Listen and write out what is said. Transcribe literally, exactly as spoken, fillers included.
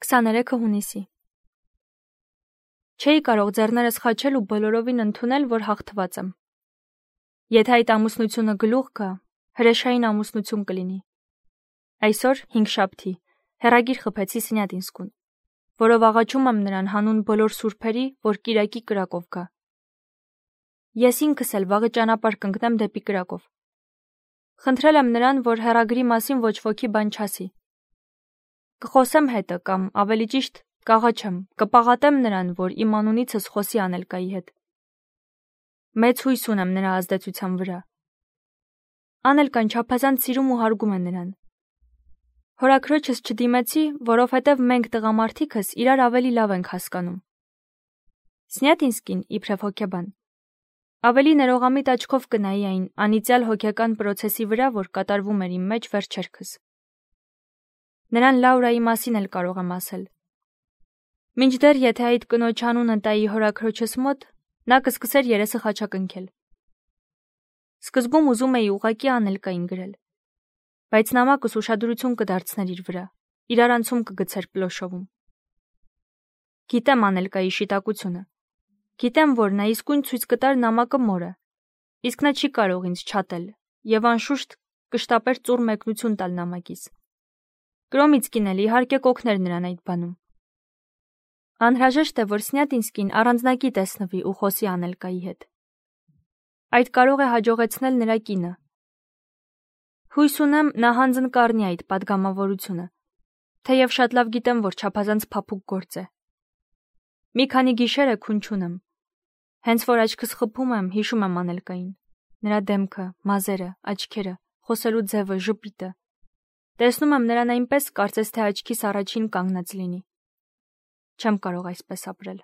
քսաներեքը հունիսի Չէի կարող ձեռներս խաչել ու բոլորովին ընդունել, որ հաղթված եմ։ Եթե այդ ամուսնությունը գլուխ գա, հրեշային ամուսնություն կլինի։ Այսօր հինգշաբթի հեռագիր խփեցի Սնյատինսկուն, որով աղաչում եմ նրան հանուն բոլոր սուրբերի, որ Կիրակի կրակով գա։ Ես ինքս էլ վաղը ճանապարհ կընկնեմ դեպի Կրակով։ Խնդրել եմ նրան, որ հեռագրի մասին ոչ ոքի բան չասի։ Կխոսեմ հետը կամ ավելի ճիշտ կաղաչեմ, կպաղատեմ նրան, որ իմ անունիցս խոսի Անելկայի հետ։ Մեծ հույս ունեմ նրա ազդեցության վրա։ Անելկան չափազանց սիրում ու հարգում է նրան։ Հորաքրոջս չդիմեցի, որովհետև մենք տղամարդիկս իրար ավելի լավ ենք հասկանում։ Սնյատինսկին իբրև հոգեբան ավելի ներողամիտ աչքով կնայի այն անիծյալ հոգեկան պրոցեսի վրա, որ կատարվում էր իմ մեջ վերջերքս։ Նրան Լաուրայի մասին էլ կարող եմ ասել։ Մինչդեռ եթե այդ կնոջ անունը տայի հորաքրոջս մոտ, նա կսկսեր երեսը խաչակնքել։ Սկզբում ուզում էի ուղղակի Անելկային գրել, բայց նամակս ուշադրություն կդարձներ իր վրա, իրար անցում կգցեր Պլոշովում։ Գիտեմ Անելկայի շիտակությունը։ Գիտեմ, որ նա իսկույն ցույց կտար նամակը մորը, իսկ նա չի կարող ինձ չատել եւ անշուշտ կշտապեր ծուռ մեկնություն տալ նամակից։ Կրոմիցկին էլ իհարկե կօգներ նրան այդ բանում։ Անհրաժեշտ է, որ Սնյատինսկին առանձնակի տեսնվի ու խոսի Անելկայի հետ։ Այդ կարող է հաջողեցնել նրա կինը։ Հույս ունեմ, նա հանձն կառնի այդ պատգամավորությունը, թեև շատ լավ գիտեմ, որ չափազանց փափուկ գործ է։ Մի քանի գիշեր է քուն չունեմ։ Հենց որ աչքս խփում եմ, հիշում եմ Անելկային, նրա դեմքը, մազերը, աչքերը, խոսելու ձևը, ժպիտը։ Տեսնում եմ նրան այնպես, կարծես թե աչքիս առաջին կանգնած լինի։ Չեմ կարող այսպես ապրել։